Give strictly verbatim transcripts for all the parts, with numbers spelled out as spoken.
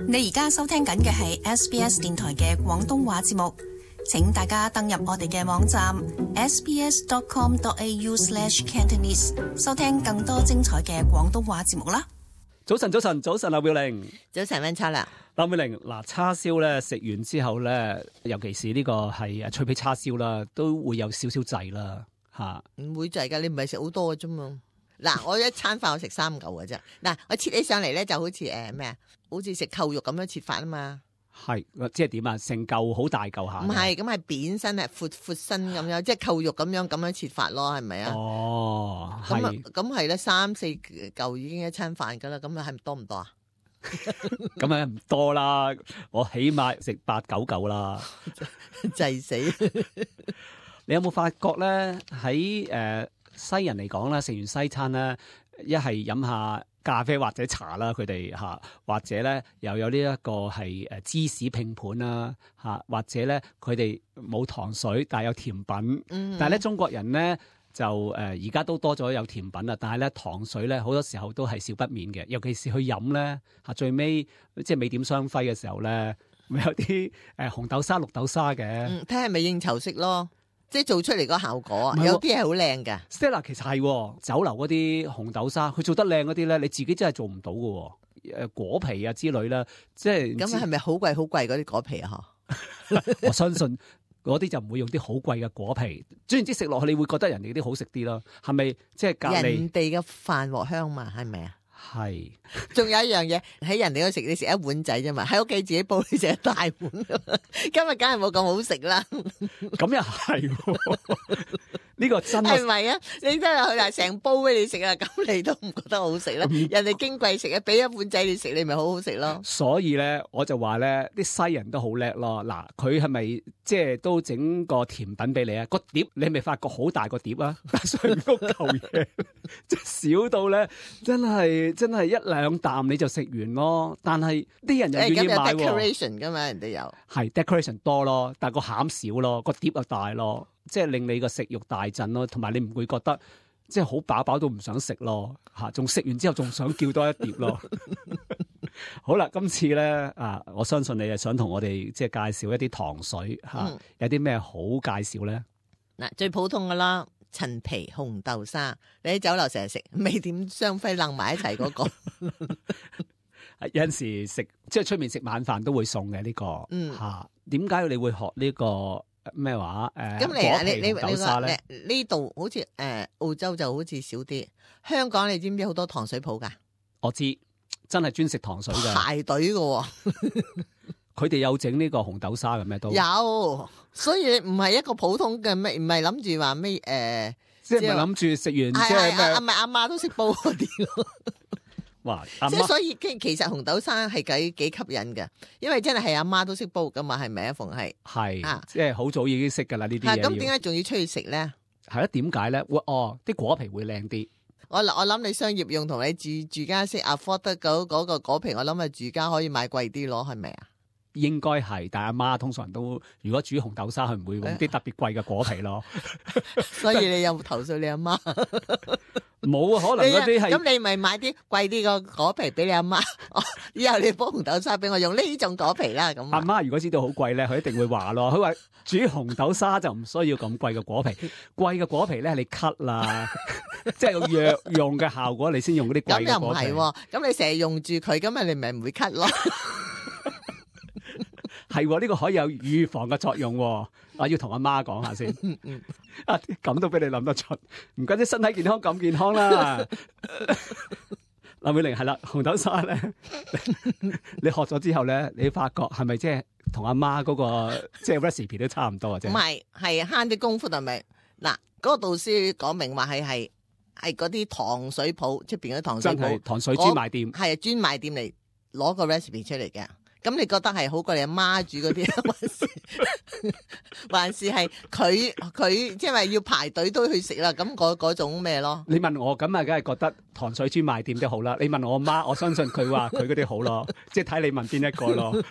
你而家收聽緊嘅係 S B S 電台嘅廣東話節目，請大家登入我哋嘅網站 s b s dot com dot a u slash cantonese 收聽更多精彩嘅廣東話節目啦。早晨，早晨，早晨，劉妙玲。早晨，溫秋啦。劉妙玲，嗱，叉燒咧食完之後咧，尤其是呢個係脆皮叉燒啦，都會有少少滯啦，吓。唔會滯噶，你唔係食好多嘅啫嘛。嗱，我一餐飯我食三嚿嘅啫。嗱，我切起上嚟咧就好似誒咩啊，好似食扣肉咁樣切法啊嘛。係，即係點啊？成嚿好大嚿下。唔係，咁係扁身，係闊闊身咁樣，即係扣肉咁樣咁樣切法咯，係咪啊？哦，咁啊，係。咁係咧，三四嚿已經一餐飯噶啦，咁啊係咪多唔多啊？咁啊唔多啦，我起碼食八九嚿啦。滯死！你有冇發覺咧？喺誒、呃、西人嚟講咧，食完西餐咧，一係飲下咖啡或者茶啦，佢哋嚇，或者咧又有呢一個係誒芝士拼盤啦嚇，或者咧佢哋冇糖水，但係有甜品。嗯、但係咧中國人咧就誒而家都多咗有甜品啦，但係咧糖水咧好多時候都係少不免嘅，尤其是去飲咧嚇，最尾即係美點雙輝嘅時候咧，咪有啲誒紅豆沙、綠豆沙嘅。嗯，睇係咪應酬式咯。即係做出嚟個效果，啊、有啲係好靚㗎。Stella 其實係酒樓嗰啲紅豆沙，佢做得靚嗰啲咧，你自己真係做唔到㗎。誒果皮啊之類啦，即係咁係咪好貴好貴嗰啲果皮啊？我相信嗰啲就唔會用啲好貴嘅果皮，總言之食落去你會覺得人哋啲好食啲咯。係咪即係隔離人哋嘅飯鑊香嘛？係咪啊？係，仲有一樣嘢喺人哋嗰食，你食一碗仔啫嘛，喺屋企自己煲你食一大碗，今日梗係冇咁好食啦。咁又係，呢個真係咪啊？你真係佢話成煲俾你食啊，咁你都唔覺得好食啦？人哋矜貴食啊，俾一碗仔你食，你咪好好食咯。所以咧，我就話咧，啲西人都好叻咯。嗱，佢係咪即係都整個甜品俾你啊？個碟你咪發覺好大個碟啊，上嗰嚿嘢即係少到咧，真係。真係一兩啖你就食完咯，但係啲人又願意買喎。咁有 decoration 噶嘛，人哋有係 decoration 多咯，但係個餡少咯，個碟又大咯，即係令你個食慾大振咯，同埋你唔會覺得即係好飽飽都唔想食咯嚇，仲食完之後仲想叫多一碟咯。好啦，今次咧啊，我相信你係想同我哋即係介紹一啲糖水嚇，啊嗯、有啲咩好介紹咧？嗱，最普通噶啦。陳皮紅豆沙，你喺酒樓成日食，味點雙輝楞埋一齊嗰、那個。有陣時食即係出面食晚飯都會送嘅呢、這個，嗯吓，點解你會學、這個呃、呢個咩話誒？咁你啊，你你你話呢度好似誒、呃、澳洲就好似少啲，香港你知唔知好多糖水鋪噶？我知，真係專食糖水嘅，排隊嘅、哦。佢哋有整呢個紅豆沙嘅咩都有，所以唔係一個普通嘅咩，唔係諗住話咩誒，即係唔係諗住食完即係咩？阿咪阿媽都識煲嗰啲咯。哇！即係所以其實紅豆沙係幾幾吸引嘅，因為真係係阿媽都識煲噶嘛，係咪啊？逢係係啊，即係好早已經識噶啦呢啲嘢。咁點解仲要出去食咧？係啊，點解咧？會哦，啲果皮會靚啲。我我諗你商業用同你住住家識 afford 得嗰嗰個果皮，我諗啊住家可以買貴啲咯，係咪啊？應該係，但係阿媽通常都如果煮紅豆沙，佢唔會用啲特別貴嘅果皮咯。所以你有冇投訴你阿媽？冇啊，可能嗰啲係咁你咪買啲貴啲個果皮俾你阿媽。以後你煲紅豆沙俾我用呢種果皮啦。咁阿媽如果知道好貴咧，佢一定會話咯。佢話煮紅豆沙就唔需要咁貴嘅果皮，貴嘅果皮咧你 cut 啦，即係有藥用嘅效果，你先用嗰啲貴嘅果皮。咁又唔係，咁你成日用住佢，咁啊你咪唔會 cut 咯。係呢、這個可以有預防嘅作用，我要同阿媽講下先。啊，咁都俾你諗得出，唔怪之身體健康咁健康啦。劉美玲係啦，紅豆沙咧，你學咗之後咧，你發覺係咪即係同阿媽嗰個即係 recipe 都差唔多啊？啫，唔係，係慳啲功夫係咪？嗱，嗰、那個導師講明話係係係嗰啲糖水鋪出邊嗰啲糖水鋪，真係糖水專賣店，係專賣店嚟攞個 recipe 出嚟嘅。咁你覺得係好過你阿媽煮嗰啲，還是還是係佢佢即係話要排隊都去食啦？咁嗰嗰種咩咯？你問我咁啊，梗係覺得糖水專賣店都好啦。你問我阿媽，我相信佢話佢嗰啲好咯，即係睇你問邊一個咯。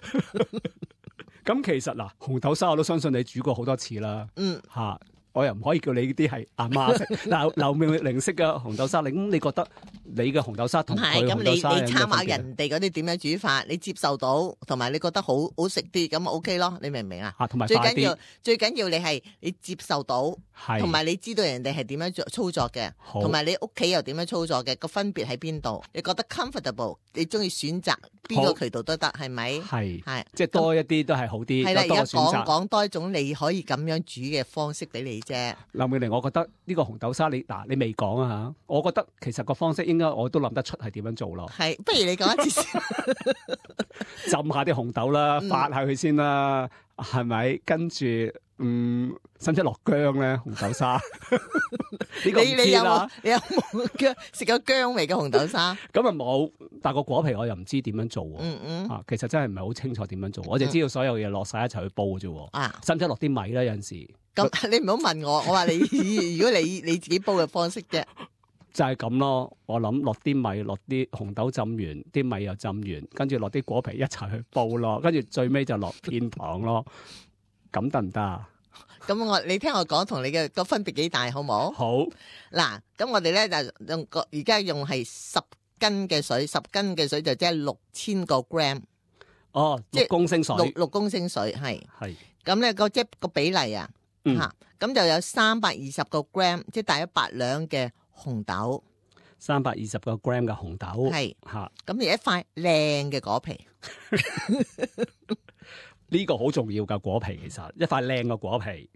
咁其實嗱，紅豆沙我都相信你煮過好多次啦。嗯，吓我又唔可以叫你呢啲係阿媽食。嗱，劉妙玲式嘅紅豆沙，你咁你覺得你嘅紅豆沙同唔係，咁佢紅你豆沙有咩你參考分別人哋嗰啲點樣煮法，你接受到，同埋你覺得好好食啲，咁 OK 咯，你明唔明啊？嚇，同埋快最緊要啲，最緊要你係你接受到，係同埋你知道人哋係點樣做操作嘅，好同埋你屋企又點樣操作嘅，個分別喺邊度？你覺得 comfortable，你中意選擇邊個渠道都得，係咪？係係即係多一啲都係好啲，係啦，有多個而家講選擇。講多一種你可以咁樣煮嘅方式俾你啫。劉妙玲，我覺得呢個紅豆沙你嗱你未講啊嚇，我覺得其實個方式應該我都諗得出係點樣做咯。係，不如你講一次先。浸下啲紅豆啦，嗯發下佢先啦，係咪？跟住嗯，使唔使落薑咧？紅豆沙呢個唔知你你有冇啦。你有冇薑食過薑味嘅紅豆沙？咁啊冇，但個果皮我又唔知點樣做喎。嗯嗯啊，其實真係唔係好清楚點樣做，我就知道所有嘢落晒一齊去煲嘅啫喎。啊，使唔使落啲米咧？有陣時咁你唔好問我，我話你如果你你自己煲嘅方式啫。就係咁咯。我諗落啲米，落啲紅豆浸完，啲米又浸完，跟住落啲果皮一齊去煲咯，跟住最尾就落片糖咯。咁得唔得啊？咁我你聽我講，同你嘅個分別幾大，好冇？好，嗱，咁我哋咧就用個而家用係十斤嘅水，十斤嘅水就即係六千個 gram，哦，即係六公升水六六公升水係。係咁咧個即係個比例啊，嗯嚇咁、就有三百二十個 gram，即係大約八兩嘅紅豆，三百二十個 gram 嘅紅豆，係嚇咁而一塊靚嘅果皮，呢個好重要㗎果皮，其實一塊靚嘅果皮。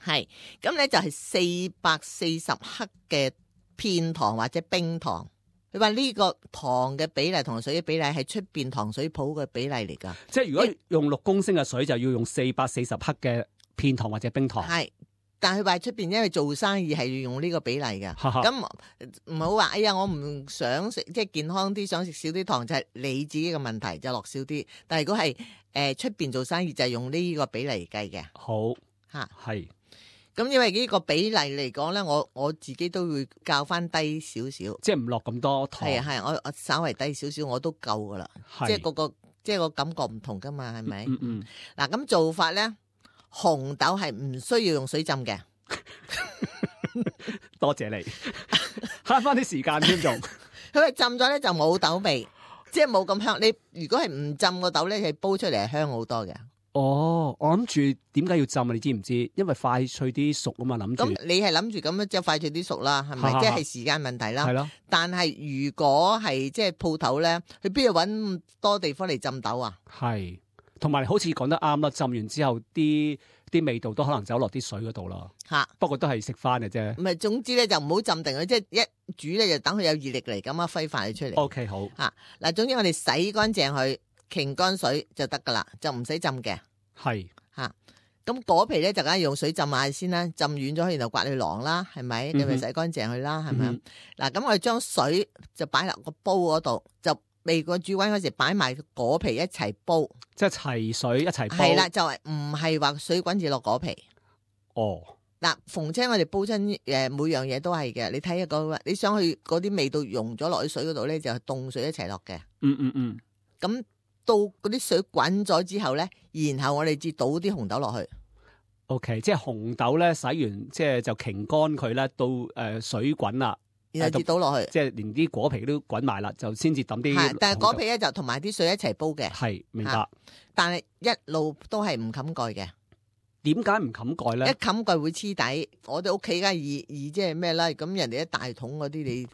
係咁咧就係四百四十克嘅片糖或者冰糖。你話呢個糖嘅比例同水嘅比例係出邊糖水鋪嘅比例嚟㗎，即係如果用六公升嘅水，就要用四百四十克嘅片糖或者冰糖。係。但係話出邊因為做生意係要用呢個比例㗎，哈哈咁唔好話哎呀我唔想食即係健康啲，想食少啲糖就係、是、你自己嘅問題，就落少啲。但係如果係誒出邊做生意就係用呢個比例計嘅好嚇。係咁因為呢個比例嚟講咧，我我自己都會較翻低少少。即係唔落咁多糖。係啊係，我我稍為低少少我都夠噶啦。係即係個個即係個感覺唔同噶嘛，係咪？嗯嗯，嗱咁做法咧，紅豆係唔需要用水浸嘅。多謝你慳翻啲時間添仲。佢話浸咗咧就冇豆味，即係冇咁香。你如果係唔浸個豆咧，係煲出嚟係香好多嘅。哦，我諗住點解要浸啊？你知唔知？因為快脆啲熟啊嘛，諗住咁你係諗住咁樣即係快脆啲熟啦，係咪？哈哈即係時間問題啦。係咯。但係如果係即係鋪頭咧，佢邊度揾咁多地方嚟浸豆啊？係，同埋好似講得啱啦。浸完之後，啲啲味道都可能走落啲水嗰度啦。嚇！不過都係食翻嘅啫。唔係，總之咧就唔好浸定佢，即係一煮咧就等佢有熱力嚟咁樣揮發佢出嚟。 O K 好，嚇嗱，總之我哋洗乾淨佢，擎乾水就得噶啦，就唔使浸嘅係嚇。咁果皮咧就梗係用水浸下先啦，浸軟咗然後刮去囊啦，係咪？你咪洗乾淨佢啦，係咪？嗯嗱，咁我哋將水就擺落個煲嗰度，就未過煮滾嗰時擺埋果皮一齊煲。即係齊水一齊煲。係啦，就係唔係話水滾住落果皮。哦，嗱，逢親我哋煲親誒每樣嘢都係嘅，你睇下個你想去嗰啲味道溶咗落去水嗰度咧，就係凍水一齊落嘅。嗯嗯嗯，咁到嗰啲水滾咗之後咧，然後我哋至倒啲紅豆落去。 O K，即係紅豆咧洗完，即係就擎乾佢咧，到誒、呃、水滾啦，然後至倒落去。即係連啲果皮都滾埋啦，就先至抌啲。係，但係果皮咧就同埋啲水一齊煲嘅。係明白。嚇但係一路都係唔冚蓋嘅。點解唔冚蓋一咧？冚蓋會黐底。我哋屋企梗係易易即係咩啦？咁人哋一大桶嗰啲，你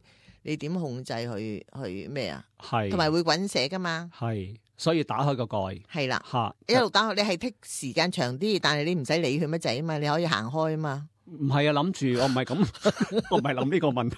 你點控制去去咩啊？係同埋會滾瀉噶嘛？係，所以打開個蓋係啦。嚇。一路打開，你係剔時間長啲，但係你唔使理佢乜滯啊嘛，你可以行開啊嘛。唔係啊，諗住我唔係咁，我唔係諗呢個問題。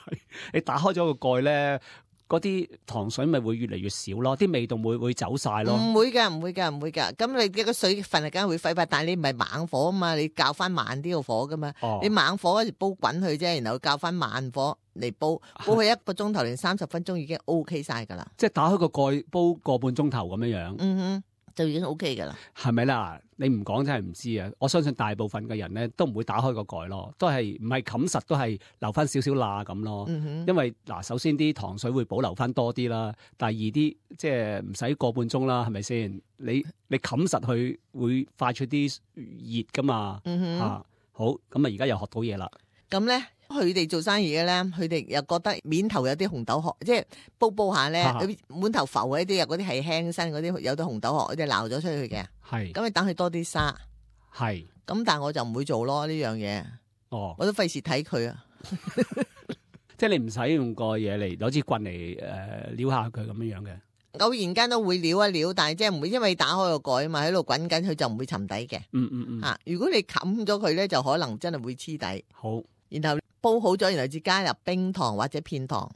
你打開咗個蓋咧，嗰啲糖水咪會越嚟越少咯，啲味道會會走晒咯。唔會㗎，唔會㗎，唔會㗎。咁你嘅個水分係梗係會揮發，但係你唔係猛火啊嘛，你較翻慢啲個火噶嘛。哦你猛火嗰時煲滾佢啫，然後較翻慢火嚟煲，煲佢一個鐘頭定三十分鐘已經 O K 晒㗎啦。即係打開個蓋煲個半鐘頭咁樣樣，嗯哼，就已經 O K 㗎啦。係咪啦？你唔講真係唔知啊！我相信大部分嘅人咧都唔會打開個蓋咯，都係唔係冚實，都係留翻少少罅咁咯。嗯哼，因為嗱，首先啲糖水會保留翻多啲啦，第二啲即係唔使個半鐘啦，係咪先？你你冚實佢會快出啲熱噶嘛？嗯哼，嚇好，咁啊而家又學到嘢啦。咁咧，佢哋做生意嘅咧，佢哋又覺得面頭有啲紅豆殼，即係煲煲下咧，啊滿頭浮嗰啲啊，嗰啲係輕身嗰啲，有啲紅豆殼，佢哋撈咗出去嘅。係，咁你等佢多啲沙。係。咁但係我就唔會做咯呢樣嘢。哦，我都費事睇佢啊。即係你唔使用個嘢嚟攞支棍嚟誒撩下佢咁樣樣嘅。偶然間都會撩一撩，但係即係唔會，因為打開個蓋啊嘛，喺度滾緊，佢就唔會沉底嘅。嗯嗯嗯。啊，如果你冚咗佢咧，就可能真係會黐底。好，然後煲好咗，然後至加入冰糖或者片糖，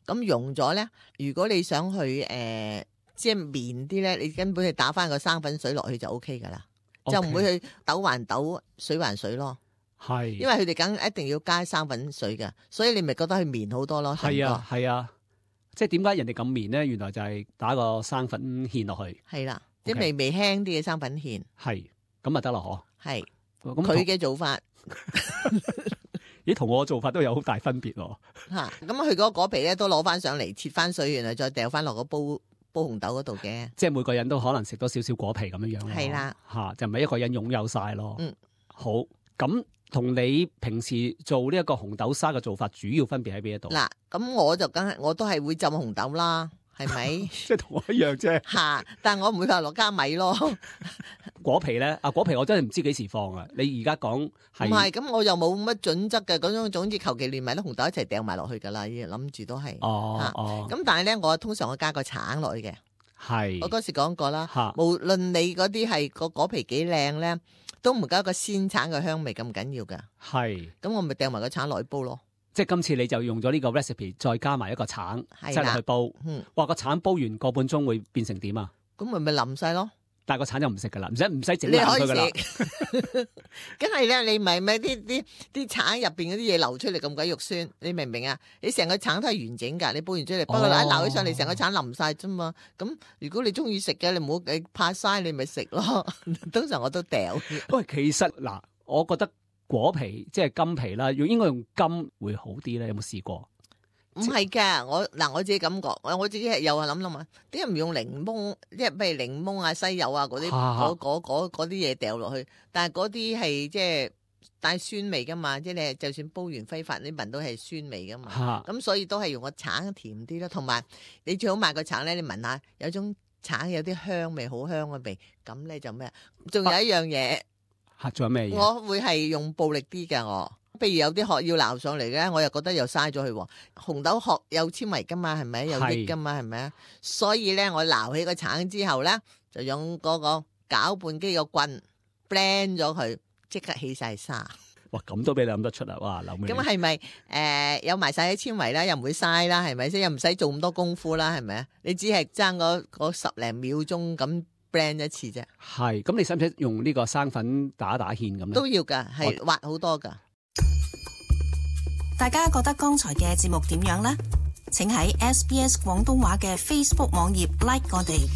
咁溶咗咧。如果你想去誒、呃，即係綿啲咧，你根本係打翻個生粉水落去就 O K 噶啦，okay. 就唔會去豆還豆，水還水咯。係，因為佢哋梗一定要加生粉水嘅，所以你咪覺得佢綿好多咯。係啊，係啊。即係點解人哋咁綿咧？原來就係打個生粉芡落去。係啦，即係微微輕啲嘅生粉芡。係，咁咪得咯，嗬。係，佢嘅做法。咦，同我做法都有好大分別喎。嚇，咁佢嗰個果皮咧都攞翻上嚟，切翻水，然後再掉翻落個煲煲紅豆嗰度嘅。即係每個人都可能食多少少果皮咁樣樣咯。係啦，嚇就唔係一個人擁有晒咯。嗯，好，咁。同你平時做呢一個紅豆沙嘅做法，主要分別喺邊一度？嗱，咁我就梗係我都係會浸紅豆啦，係咪？即係同我一樣啫。嚇！但係我唔會話落加米咯。果皮咧，啊果皮我真係唔知幾時放啊！你而家講係唔係？咁我又冇乜準則嘅嗰種，總之求其連埋啲紅豆一齊掟埋落去㗎啦，諗住都係。哦哦。咁但係咧，我通常我加個橙落去嘅。係。我嗰時講過啦。嚇。無論你嗰啲係個果皮幾靚咧，都唔夠一個鮮橙嘅香味咁緊要噶，係，咁我咪掟埋個橙落去煲咯。即係今次你就用咗呢個 recipe， 再加埋一個橙，擠落去煲。嗯，哇，個橙煲完個半鐘會變成點啊？咁咪咪淋晒咯。但係個橙就唔食噶啦，唔使唔使整爛佢噶啦。梗係咧，你咪咪啲啲啲橙入邊嗰啲嘢流出嚟咁鬼肉酸，你明唔明啊？你成個橙都係完整噶，你煲完出嚟，不過一撈起上嚟，成個橙淋晒啫嘛。咁如果你中意食嘅，你唔好你怕嘥，你咪食咯。通常我都掉。喂，其實嗱，我覺得果皮即係金皮啦，用應該用金會好啲咧。有冇試過？唔係噶，我嗱我自己感覺，我自己係又係諗諗啊，點解唔用檸檬？即係譬如檸檬啊、西柚啊嗰啲，嗰嗰嗰嗰啲嘢掉落去，但係嗰啲係即係帶酸味噶嘛，即係你就算煲完揮發，你聞到係酸味噶嘛，咁所以都係用個橙甜啲咯，同埋你最好買個橙咧，你聞下有種橙有啲香味，好香嘅味，咁咧就咩？仲有一樣嘢，吓仲有咩嘢？我會係用暴力啲嘅我。譬如有啲殼要撈上嚟嘅，我又覺得又嘥咗佢。紅豆殼有纖維噶嘛，係咪有益噶嘛，係咪啊？所以咧，我撈起個橙之後咧，就用嗰個攪拌機個棍 blend 咗佢，即刻起晒沙。哇！咁都俾你諗得出啊！哇，諗咁係咪誒有埋晒啲纖維啦，又唔會嘥啦，係咪先？又唔使做咁多功夫啦，係咪啊？你只係爭嗰嗰十零秒鐘咁 blend 一次啫。係咁，你使唔使用呢個生粉打打芡咁咧？都要噶，係滑好多噶。大家覺得剛才嘅節目點樣呢？請喺 S B S 廣東話嘅 Facebook 網頁 like 我哋。